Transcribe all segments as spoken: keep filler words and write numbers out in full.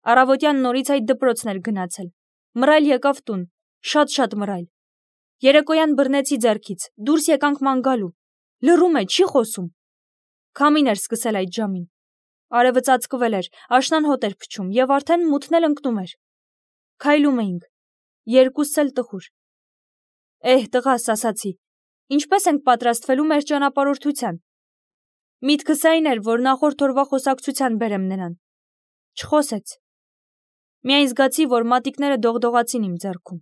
Առավոտյան նորից այդ դպրոցն էր գնացել։ Մռայլ եկավ տուն, շատ-շատ մռայլ։ Երեկոյան բռնեցի ձեռքից, դուրս եկանք ման գալու։ Լռում է, չի խոսում։ Քամին էր սկսել այդ ժամին։ Արևը ծածկվել էր, աշնան հոտ էր փչում եւ արդեն մութն էլ ընկնում էր։ Քայլում էինք, երկուսս էլ տխուր։ Էհ, տղաս, ասացի, ինչպես ենք պատրաստվելու մեր ճանապարհորդության։ Միտքս այն էր, որ նախորդ օրվա խոսակցության բերեմ նրան։ Չխոսեց։ Միայն զգացի, որ մատիկները դողդողացին իմ ձեռքում։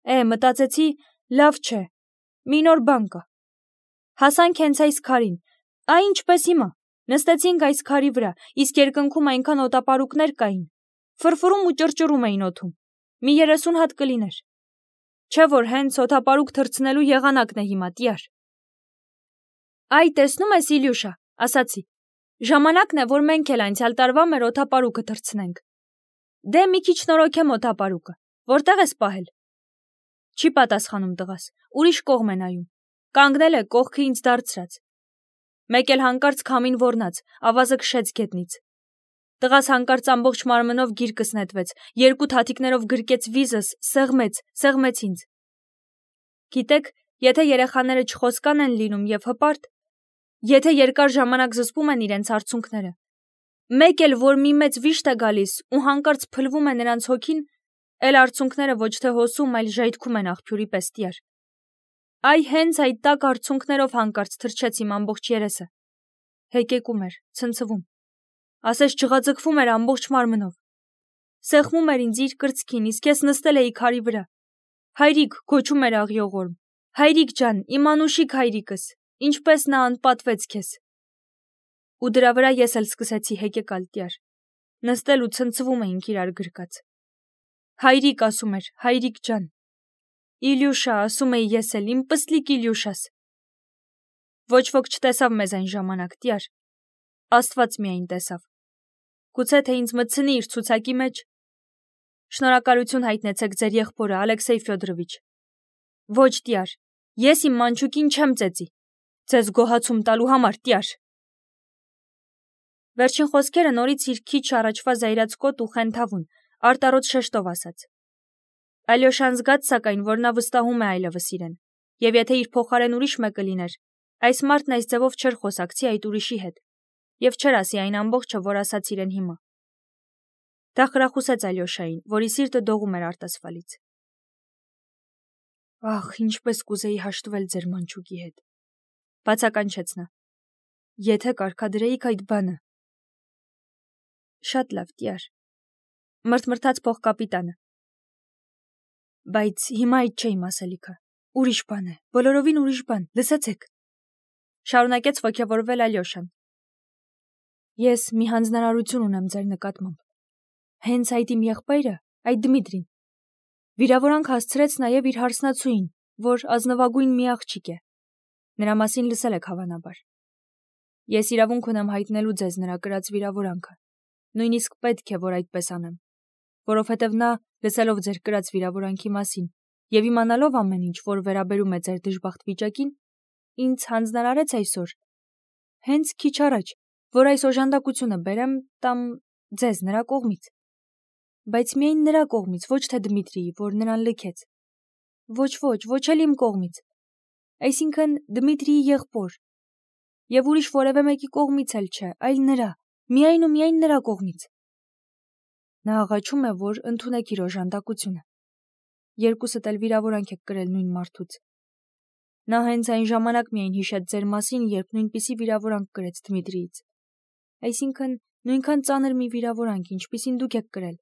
Է, մտածեցի, լավ չէ, մի նոր բան կա։ Հասանք հենց այս քարին, այ ինչպես հիմա, նստեցինք այս քարի վրա, իսկ երկնքում այնքան օտապարուկներ կային, ֆրֆրում ու ճռճռում էին օդում, մի երեսուն հատ կլիներ։ Չէ որ հենց օտապարուկ թռցնելու եղանակն է հիմա, տյար։ Այ, տեսնում ես, Իլյուշա, ասացի, ժամանակն է, որ մենք էլ անցյալ տարվա մեր օտապարուկը թռցնենք։ Դե մի քիչ նորոգեմ օտապարուկը, որտեղ ես պահել։ Չի պատասխանում տղաս, ուրիշ կողմ է նայում, կանգնել է կողքը ինձ դարձրած։ Մեկ էլ հանկարծ քամին ոռնաց, ավազը քշեց գետնից։ Տղաս հանկարծ ամբողջ մարմնով գիրկս նետվեց, երկու թաթիկներով գրկեց վիզս, սեղմեց, սեղմեց ինձ։ Գիտեք, եթե երեխաները չխոսկան են լինում եւ հպարտ, եթե երկար ժամանակ զսպում են իրենց արցունքները, մեկ էլ որ մի մեծ վիշտ է գալիս ու հանկարծ փլվում է նրանց հոգին, էլ արցունքները ոչ թե հոսում, այլ ժայթքում են աղբյուրի պես տյար։ Այ հենց այդ տաք արցունքներով հանկարծ թրջեց իմ ամբողջ երեսը։ Հեկեկում էր, ցնցվում։ Ասես ջղաձգվում էր ամբողջ մարմնով։ Սեղմում էր ինձ իր կրծքին, իսկ ես նստել էի քարի վրա։ Հայրիկ, գոչում էր աղյողորմ, հայրիկ ջան, իմ անուշիկ հայրիկս, ինչպես նա անպատվեց քեզ։ Ու դրա վրա ես էլ սկսեցի հեկեկալ տյար։ Նստել ու ցնցվում էինք իրար գրկած։ Հայրիկ, ասում էր, հայրիկ ջան։ Իլյուշա, ասում էի ես էլ, իմ պստլիկ Իլյուշաս։ Ոչ ոք չտեսավ մեզ այն ժամանակ, տյար։ Աստված միայն տեսավ։ Գուցե թե ինձ մտցնի իր ցուցակի մեջ։ Շնորհակալություն հայտնեցեք ձեր եղբորը, Ալեքսեյ Ֆյոդորովիչ։ Ոչ, տյար, ես իմ մանչուկին չեմ ծեծի։ Ձեզ գոհացում տալու համար, տյար։ Վերջին խոսքերը նորից իր քիչ առաջվա զայրացկոտ ու խենթավուն, արտառոց շեշտով ասաց։ Ալյոշան զգաց սակայն, որ նա վստահում է այլևս իրեն, եւ եթե իր փոխարեն ուրիշ մեկը լիներ, այս մարդն այս ձևով չէր խոսակցի այդ ուրիշի հետ, եւ չէր ասի այն ամբողջը, որ ասաց իրեն հիմա։ Դա խրախուսեց Ալյոշային, որի սիրտը դողում էր արտասվալից։ Ահ, ինչպես կուզեի հաշտվել ձեր մանչուկի հետ, բացականչեց նա։ Եթե կարգադրեիք այդ բանը։ Շատ լավ, տյար, մրթմրթաց փոխկապիտանը։ Բայց հիմա այդ չէ իմ ասելիքը, ուրիշ բան է, բոլորովին ուրիշ բան, լսեցեք։ Շարունակեց ոգևորվել Ալյոշան։ Ես մի հանձնարարություն ունեմ ձեր նկատմամբ։ Հենց այդ իմ եղբայրը, այդ Դմիտրին, վիրավորանք հասցրեց նաև իր հարսնացուին, որ ազնվագույն մի աղջիկ է։ Նրա մասին լսել եք հավանաբար։ Ես իրավունք ունեմ հայտնելու ձեզ նրա կրած վիրավորանքը։ Նույնիսկ պետք է, որ այդպես անեմ, որովհետև նա, լսելով ձեր կրած վիրավորանքի մասին եւ իմանալով ամեն ինչ, որ վերաբերում է ձեր դժբախտ վիճակին, ինձ հանձնարարեց այսօր, հենց քիչ առաջ, որ այս օժանդակությունը բերեմ տամ ձեզ նրա կողմից։ Բայց միայն նրա կողմից, ոչ թե Դմիտրիի, որ նրան լքեց։ Ոչ, ոչ, ոչ էլ իմ կողմից։ Այսինքն Դմիտրիի եղբոր։ Եվ ուրիշ որևէ մեկի կողմից էլ չէ, այլ նրա, միայն ու միայն նրա կողմից։ Նա աղաչում է, որ ընդունեք իր օժանդակությունը։ Երկուսդ էլ վիրավորանք եք կրել նույն մարդուց։ Նա հենց այն ժամանակ միայն հիշեց ձեր մասին, երբ նույնպիսի վիրավորանք կրեց Դմիտրիից։ Այսինքն նույնքան ծանր մի վիրավորանք, ինչպիսին դուք եք կրել։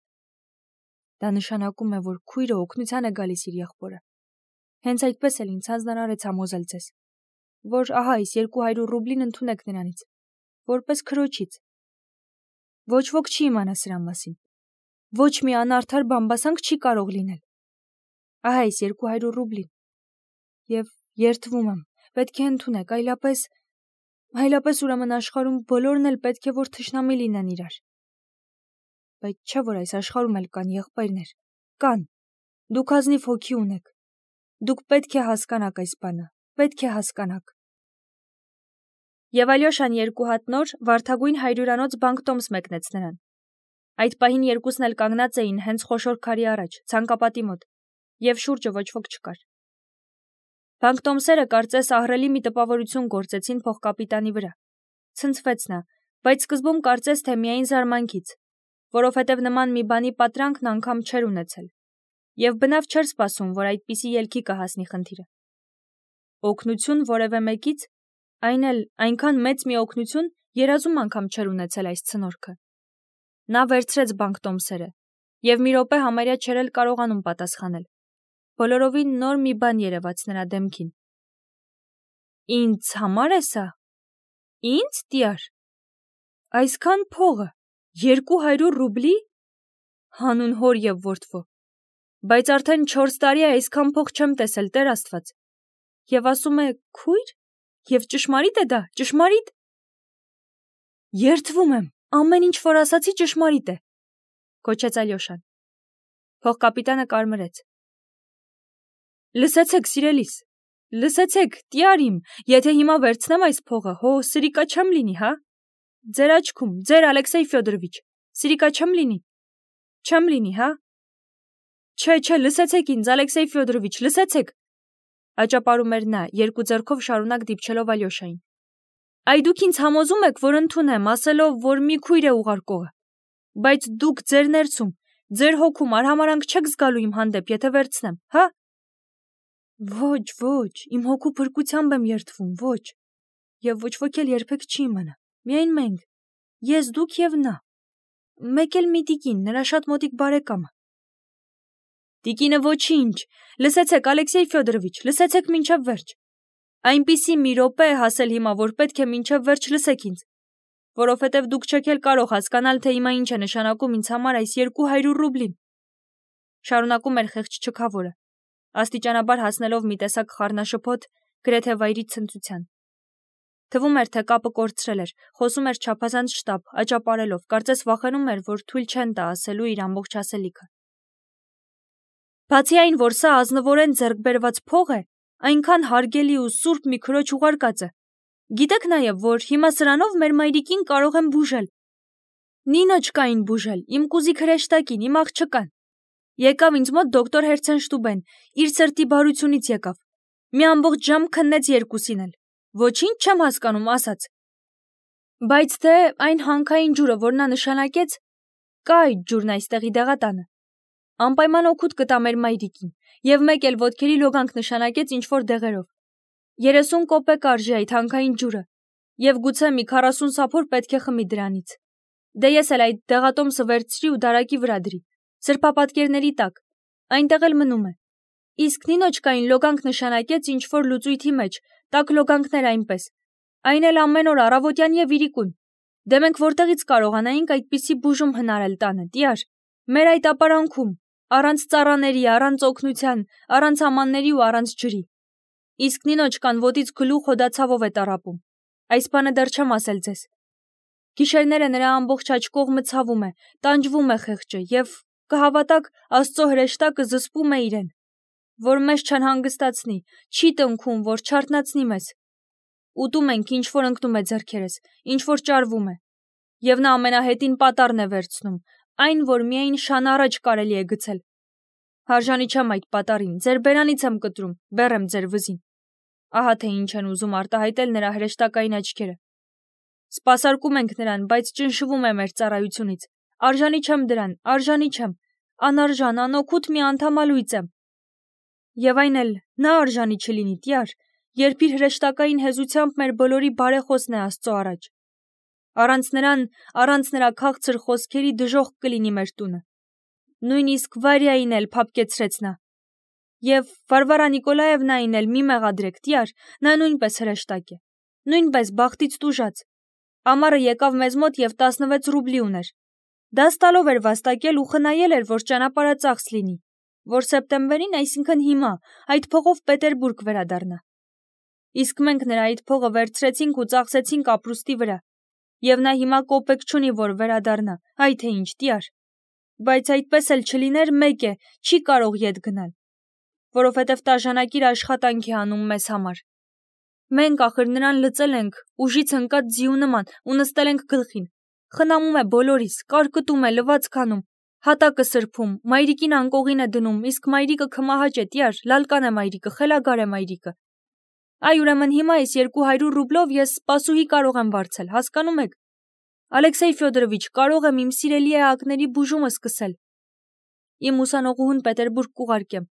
Դա նշանակում է, որ քույրը օգնության է գալիս իր եղբորը։ Հենց այդպես էլ ինձ հանձնարարեց համոզել ձեզ, որ ահա այս երկու հարյուր ռուբլին ընդունեք նրանից, որպես քրոջից։ Ոչ ոք չի իմանա սրա մասին։ Ոչ մի անարդար բամբասանք չի կարող լինել։ Ահա այս երկու հարյուր ռուբլին։ Եվ երդվում եմ, պետք է ընդունեք, այլապես, այլապես ուրեմն աշխարհում բոլորն էլ պետք է որ թշնամի լինեն իրար։ Բայց չէ որ այս աշխարհում էլ կան եղբայրներ, կան։ Դուք ազնիվ հոգի ունեք։ Դուք պետք է հասկանաք այս բանը, պետք է հասկանաք։ Եվ Ալյոշան երկու հատ նոր վարդագույն հայրյուրանոց բանկտոմս մեկնեց նրան։ Այդ պահին երկուսն էլ կանգնած էին հենց խոշոր քարի առաջ, ցանկապատի մոտ, եւ շուրջը ոչ ոք չկար։ Բանկտոմսերը կարծես ահռելի մի տպավորություն գործեցին փոխկապիտանի վրա։ Ցնցվեց նա, բայց սկզբում կարծես թե միայն զարմանքից, որովհետև նման մի բանի պատրանքն անգամ չէր ունեցել, եւ բնավ չէր սպասում, որ այդպիսի ելքի կհասնի խնդիրը։ Օգնություն որևէ մեկից, այն էլ այնքան մեծ մի օգնություն երազում անգամ չէր ունեցել այս ցնորքը։ Նա վերցրեց բանկտոմսերը եւ մի րոպե համարյա չէր էլ կարողանում պատասխանել։ Բոլորովին նոր մի բան երևաց նրա դեմքին։ Ինձ համար է սա։ Ինձ, տյար։ Այսքան փողը, երկու հարյուր ռուբլի, հանուն հոր եւ որդվո։ Բայց արդեն չորս տարի է այսքան փող չեմ տեսել, Տեր Աստված։ Եվ ասում է քույր, եւ ճշմարիտ է դա, ճշմարիտ։ Երդվում եմ, ամեն ինչ որ ասացի ճշմարիտ է, կոչեց Ալյոշան։ Փողկապիտանը կարմրեց։ Լսեցեք, սիրելիս, լսեցեք, տյար իմ, եթե հիմա վերցնեմ այս փողը, հո սրիկա չեմ լինի, հա։ Ձեր աչքում, ձեր Ալեքսեյ Ֆյոդորովիչ, սրիկա չեմ լինի։ Չեմ լինի, հա։ Չէ, չէ, լսեցեք ինձ, Ալեքսեյ Ֆյոդորովիչ, լսեցեք։ Աճապարում էր նա, երկու ձեռքով շարունակ դիպչելով Ալյոշային։ Այ դուք ինձ համոզում եք, որ ընդունեմ, ասելով, որ մի քույր է ուղարկողը։ Բայց դուք ձեր ներսում, ձեր հոգում արհամարանք չեք զգալու իմ հանդեպ, եթե վերցնեմ, հա։ Ոչ, ոչ, իմ հոգու փրկությամբ եմ երդվում, ոչ։ Եվ ոչ ոք էլ երբեք չի իմանա, միայն մենք, ես, դուք եւ նա։ Մեկ էլ մի տիկին, նրա շատ մոտիկ բարեկամը։ Տիկինը ոչինչ, լսեցեք, Ալեքսեյ Ֆյոդորովիչ, լսեցեք մինչև վերջ։ Այնպիսի մի րոպե է հասել հիմա, որ պետք է մինչև վերջ լսեք ինձ, որովհետև դուք չեք էլ կարող հասկանալ, թե հիմա ինչ է նշանակում ինձ համար այս երկու հարյուր ռուբլին։ Շարունակում էր խեղճ չքավորը, աստիճանաբար հասնելով մի տեսակ խառնաշփոթ, գրեթե վայրի ցնծության։ Թվում էր, թե կապը կորցրել էր, խոսում էր չափազանց շտապ, աճապարելով, կարծես վախենում էր, որ թույլ չեն տա ասելու իր ամբողջ ասելիքը։ Բացի այն, որ սա ազնվորեն ձեռք բերված փող է, այնքան հարգելի ու սուրբ մի քրոջ ուղարկածը։ Գիտեք նաև, որ հիմա սրանով մեր մայրիկին կարող եմ բուժել։ Նինոչկային բուժել, իմ կուզիկ հրեշտակին, իմ աղջկան։ Եկավ ինձ մոտ դոկտոր Հերցենշտուբեն, իր սրտի բարությունից եկավ։ Մի ամբողջ ժամ քննեց երկուսին էլ։ Ոչինչ չեմ հասկանում, ասաց։ Բայց թե այն հանքային ջուրը, որ նա նշանակեց, կա այդ ջուրն այստեղի դեղատանը։ Անպայման օգուտ կտա մեր մայրիկին, եւ մեկ էլ ոտքերի լոգանք նշանակեց ինչ-որ դեղերով։ երեսուն կոպեկ արժի այդ հանքային ջուրը, եւ գուցե մի քառասուն սափոր պետք է խմի դրանից։ Դե ես էլ այդ դեղատոմսը վերցրի ու դարակի վրա դրի, սրբապատկերների տակ, այնտեղ էլ մնում է։ Իսկ նինոչկային լոգանք նշանակեց ինչ-որ լուծույթի մեջ, տաք լոգանքներ այնպես, այն էլ ամեն օր առավոտյան եւ իրիկուն։ Դե մենք որտեղից կարողանայինք այդպիսի բուժում հնարել տանը, տյար, մեր այդ ապարանքում, առանց ծառաների, առանց օգնության, առանց ամանների ու առանց ջրի։ Իսկ նինոչկան ոտից գլուխ հոդացավով է տառապում։ Այս բանը դեռ չեմ ասել ձեզ։ Գիշերները նրա ամբողջ աջ կողմը ցավում է, տանջվում է խեղճը եւ կհավատաք, Աստծո հրեշտակը զսպում է իրեն, որ մեզ չանհանգստացնի, չի տնքում, որ չարթնացնի մեզ։ Ուտում ենք, ինչ որ ընկնում է ձեռքերս, ինչ որ ճարվում է։ Եվ նա ամենահետին պատառն է վերցնում, այն, որ միայն շան առաջ կարելի է գցել։ Հարժանի չեմ այդ պատառին, ձեր բերանից եմ կտրում, բեռ եմ ձեր վզին։ Ահա թե ինչ են ուզում արտահայտել նրա հրեշտակային աչքերը։ Սպասարկում ենք նրան, բայց ճնշվում է մեր ծառայությունից։ Արժանի չեմ դրան, արժանի չեմ, անարժան, անօգուտ մի անդամալույց եմ։ Եվ այն էլ նա արժանի չլինի, տյար, երբ իր հրեշտակային հեզությամբ մեր բոլորի բարեխոսն է Աստծո առաջ։ Առանց նրան, առանց նրա քաղցր խոսքերի դժոխք կլինի մեր տունը։ Նույնիսկ Վարյային էլ փափկեցրեց նա։ Եվ Վարվարա Նիկոլաևնային էլ մի մեղադրեք, տյար, նա նույնպես հրեշտակ է, նույնպես բախտից տուժած։ Ամառը եկավ մեզ մոտ եւ տասնվեց ռուբլի ուներ։ Դաստալով էր վաստակել ու խնայել էր, որ ճանապարհը ծախս լինի, որ սեպտեմբերին, այսինքն հիմա, այդ փողով Պետերբուրգ վերադառնա։ Իսկ մենք նրա այդ փողը վերցրեցինք ու ծախսեցինք ապրուստի վրա։ Եվ նա հիմա կոպեկ չունի, որ վերադառնա, այ թե ինչ, տյար։ Բայց այդպես էլ չլիներ, մեկ է, չի կարող ետ գնալ, որովհետև տաժանակիր աշխատանք է անում մեզ համար։ Մենք ախր նրան լծել ենք, ուժից ընկած ձիու նման ու նստել ենք գլխին։ Խնամում է բոլորիս, կարկտում է, լվացք անում, հատակը սրբում, մայրիկին անկողին է դնում, իսկ մայրիկը քմահաճ է, տյար, լալկան է մայրիկը, խելագար է մայրիկը։ Այ ուրեմն հիմա այս երկու հարյուր ռուբլով ես սպասուհի կարող եմ վարձել, հասկանում եք։ Ալեքսեյ Ֆյոդորովիչ, կարող եմ իմ սիրելի էակների բուժումը սկսել։ Իմ ուսանողուհուն Պետերբուրգ կուղարկեմ,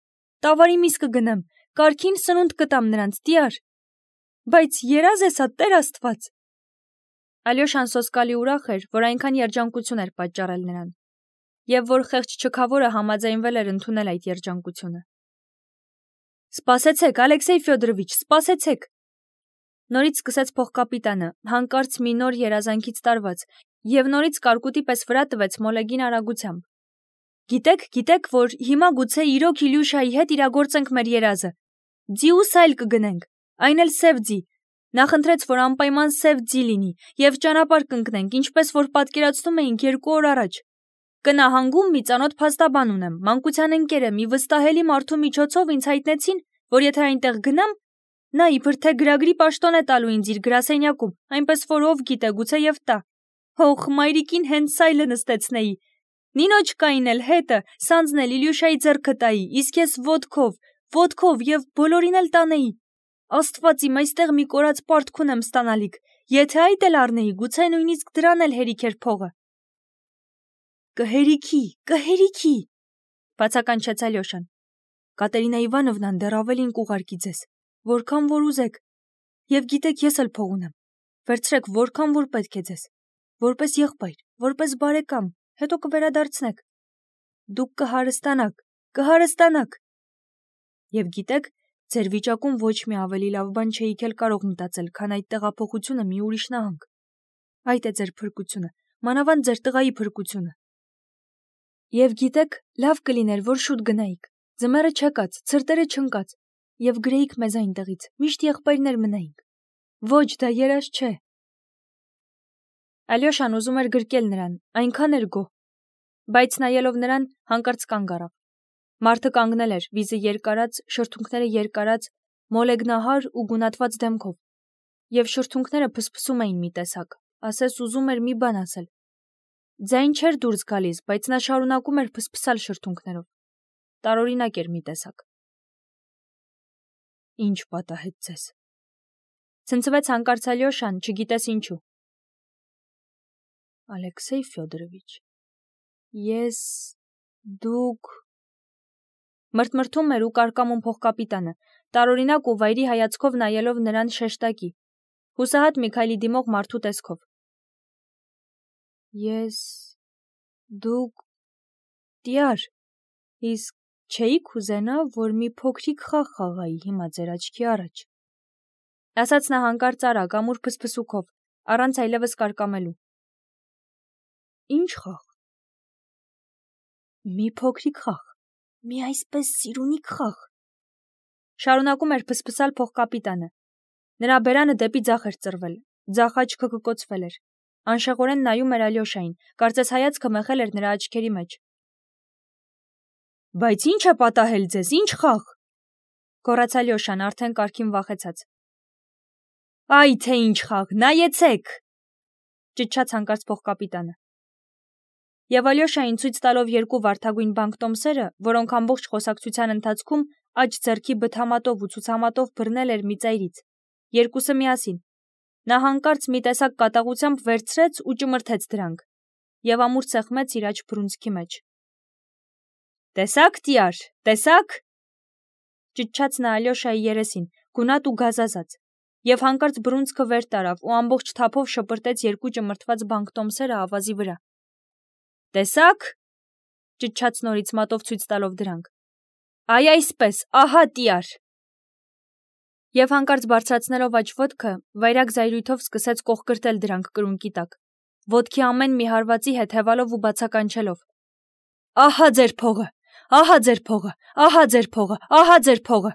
տավարի միս կգնեմ, կարգին սնունդ կտամ նրանց, տյար։ Բայց երազ է սա, Տեր Աստված։ Ալյոշան սոսկալի ուրախ էր, որ այնքան երջանկություն էր պատճառել նրան, եւ որ խեղճ չքավորը համաձայնվել էր ընդունել այդ երջանկությունը։ Սպասեցեք, Ալեքսեյ Ֆյոդորովիչ, սպասեցեք։ Նորից սկսեց փոխկապիտանը, հանկարծ մի նոր երազանքից տարված, եւ նորից կարկուտի պես վրա տվեց մոլեգին արագությամբ։ Գիտեք, գիտեք, որ հիմա գուցե իրոք Իլյուշայի հետ իրագործենք մեր երազը։ Ձիուս այլ կգնենք, այն էլ սև ձի։ Նախընտրեց, որ անպայման սև ձի լինի, եւ ճանապարհ կընկնենք, ինչպես որ պատկերացնում էինք երկու օր առաջ։ Կնահանգում մի ծանոթ փաստաբան ունեմ, մանկության ընկեր է, մի վստահելի մարդու միջոցով ինձ հայտնեցին, որ եթե այնտեղ գնամ, նա իբր թե գրագրի պաշտոն է տալու ինձ իր գրասենյակում, այնպես որ ով գիտե, գուցե եւ տա։ Հող, մայրիկին հենց սայլը նստեցնեի։ Նինոչկային էլ հետը, սանձն էլ Իլյուշայի ձեռքը տայի, իսկ ես ոտքով, ոտքով եւ բոլորին էլ տանեի։ Աստված իմ, այստեղ մի կորած պարտք ունեմ ստանալիք, եթե այդ էլ առնեի, գուցե նույնիսկ դրան էլ հերիք էր փողը։ Կհերիքի, կհերիքի, բացականչեց Ալյոշան։ Կատերինա Իվանովնան դեռ ավելին կուղարկի ձեզ, որքան որ ուզեք, եւ գիտեք ես էլ փող ունեմ, վերցրեք որքան որ պետք է ձեզ, որպես եղբայր, որպես բարեկամ, հետո կվերադարձնեք, դուք կհարստանաք, կհարստանաք։ Եվ գիտեք, ձեր վիճակում ոչ մի ավելի լավ բան չէիք էլ կարող մտածել, քան այդ տեղափոխությունը մի ուրիշ նահանգ։ Այդ է ձեր փրկությունը, մանավանդ ձեր տղայի փրկությունը։ Եվ գիտեք, լավ կլիներ, որ շուտ գնայիք, ձմեռը չեկած, ցրտերը չընկած, եւ գրեիք մեզ այնտեղից, միշտ եղբայրներ մնայինք։ Ոչ, դա երազ չէ։ Ալյոշան ուզում էր գրկել նրան, այնքան էր գոհ, բայց նայելով նրան հանկարծ կանգ առավ։ Մարդը կանգնել էր, վիզը երկարած, շրթունքները երկարած, մոլեգնահար ու գունատված դեմքով, եւ շրթունքները փսփսում էին մի տեսակ, ասես ուզում էր մի բան ասել։ Ձայն չէր դուրս գալիս, բայց նա շարունակում էր փսփսալ շրթունքներով։ Տարօրինակ էր մի տեսակ։ Ինչ պատահեց ձեզ։ Ցնցվեց հանկարծ Ալյոշան, չգիտես ինչու։ Ալեքսեյ Ֆյոդորովիչ, ես, դուք… Մրթմրթում էր ու կարկամում փոխկապիտանը, տարօրինակ ու վայրի հայացքով նայելով նրան շեշտակի, հուսահատ Միքայելի դիմող մարդու տեսքով։ Ես… դուք… տյար, իսկ չէիք ուզենա, որ մի փոքրիկ խաղ խաղայի հիմա ձեր աչքի առաջ։ Ասաց նա հանկարծ արագ, ամուր փսփսուքով, առանց այլևս կարկամելու։ Ինչ խաղ։ Մի փոքրիկ խաղ, մի այսպես սիրունիկ խաղ։ Շարունակում էր փսփսալ փոխկապիտանը։ Նրա բերանը դեպի ձախ էր ծռվել, ձախ աչքը կկոցվել էր։ Անշեղորեն նայում էր Ալյոշային, կարծես հայացքը մեղել էր նրա աչքերի մեջ։ Բայց ինչ է պատահել ձեզ, ինչ խաղ։ Գոռաց Ալյոշան, արդեն կարգին վախեցած։ Այ թե ինչ խաղ, նայեցեք։ Ճչաց հանկարծ փոխկապիտանը։ Եվ Ալյոշային ցույց տալով երկու վարդագույն բանկտոմսերը, որոնք ամբողջ խոսակցության ընթացքում աջ ձեռքի բթամատով ու ցուցամատով բռնել էր մի ծայրից, երկուսը միասին, նա հանկարծ մի տեսակ կատաղությամբ վերցրեց ու ճմրթեց դրանք, եւ ամուր սեղմեց իր աջ բռունցքի մեջ։ Տեսա՞ք, տյար, տեսա՞ք։ Ճչաց նա Ալյոշայի երեսին, գունատ ու գազազած, եւ հանկարծ բռունցքը վեր տարավ ու ամբողջ թափով շպրտեց երկու ճմրթված բանկտոմսերը ավազի վրա։ Տեսա՞ք, ճչաց նորից մատով ցույց տալով դրանք։ Այ այսպես, ահա տյար։ Եվ հանկարծ բարձրացնելով աջ ոտքը, վայրագ զայրույթով սկսեց կողկրտել դրանք կրունկի տակ, ոտքի ամեն մի հարվածի հետ հևալով ու բացականչելով։ Ահա ձեր փողը, ահա ձեր փողը, ահա ձեր փողը, ահա ձեր փողը։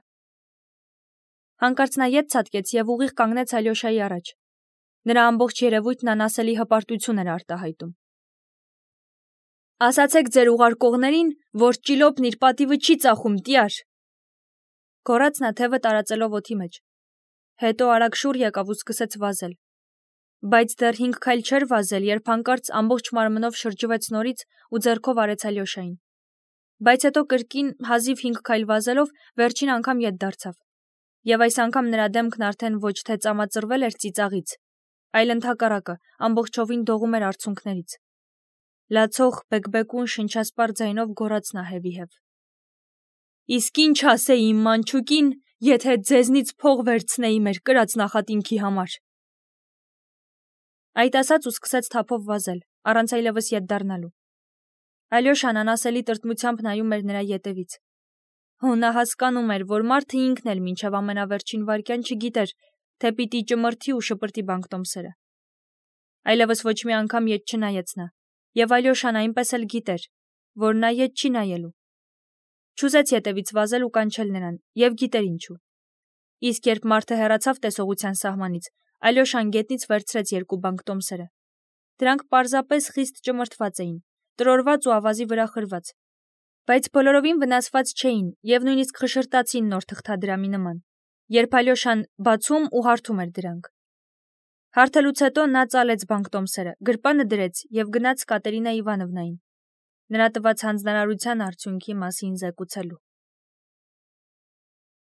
Հանկարծ նա ետ ցատկեց եւ ուղիղ կանգնեց Ալյոշայի առաջ։ Նրա ամբողջ երևույթն անասելի հպարտություն էր արտահայտում։ Ասացեք ձեր ուղարկողներին, որ ճիլոպն իր պատիվը չի ծախում, տյար։ Գոռաց նա թևը տարածելով օդի մեջ։ Հետո արագ շուռ եկավ ու սկսեց վազել։ Բայց դեռ հինգ քայլ չէր վազել, երբ հանկարծ ամբողջ մարմնով շրջվեց նորից ու ձեռքով արեց Ալյոշային։ Բայց հետո կրկին հազիվ հինգ քայլ վազելով վերջին անգամ ետ դարձավ։ Եվ այս անգամ նրա դեմքն արդեն ոչ թե ծամածրվել էր ծիծաղից, այլ ընդհակառակը ամբողջովին դողում էր արցունքներից։ Լացող բեկբեկուն շնչասպառ ձայնով գոռաց նա հետևև. «Իսկ ինչ ասեի իմ մանչուկին, եթե ձեզնից փող վերցնեի մեր կրած նախատինքի համար»։ Այդ ասաց ու սկսեց թափով վազել, առանց այլևս ետ դառնալու։ Ալյոշան անասելի տրտմությամբ նայում էր նրա ետևից։ Ու նա հասկանում էր, որ մարդը ինքն էլ մինչև ամենավերջին վայրկյան չգիտեր, թե պիտի ճմրթի ու շպրտի բանկտոմսերը։ Այլևս ոչ մի անգամ ետ չնայեց նա, եւ Ալյոշան այնպես էլ գիտեր, որ նա ետ չի նայելու։ Չուզեց ետևից վազել ու կանչել նրան, եւ գիտեր ինչու։ Իսկ երբ մարդը հեռացավ տեսողության սահմանից, Ալյոշան գետնից վերցրեց երկու բանկտոմսերը։ Դրանք պարզապես խիստ ճմրթված էին, տրորված ու ավազի վրա խրված, բայց բոլորովին վնասված չէին եւ նույնիսկ խշրտացին նոր թղթադրամի նման, երբ Ալյոշան բացում ու հարթում էր դրանք։ Հարթելուց հետո նա ծալեց բանկտոմսերը, գրպանը դրեց եւ գնաց Կատերինա Իվանովնային, նրա տված հանձնարարության արդյունքի մասին զեկուցելու։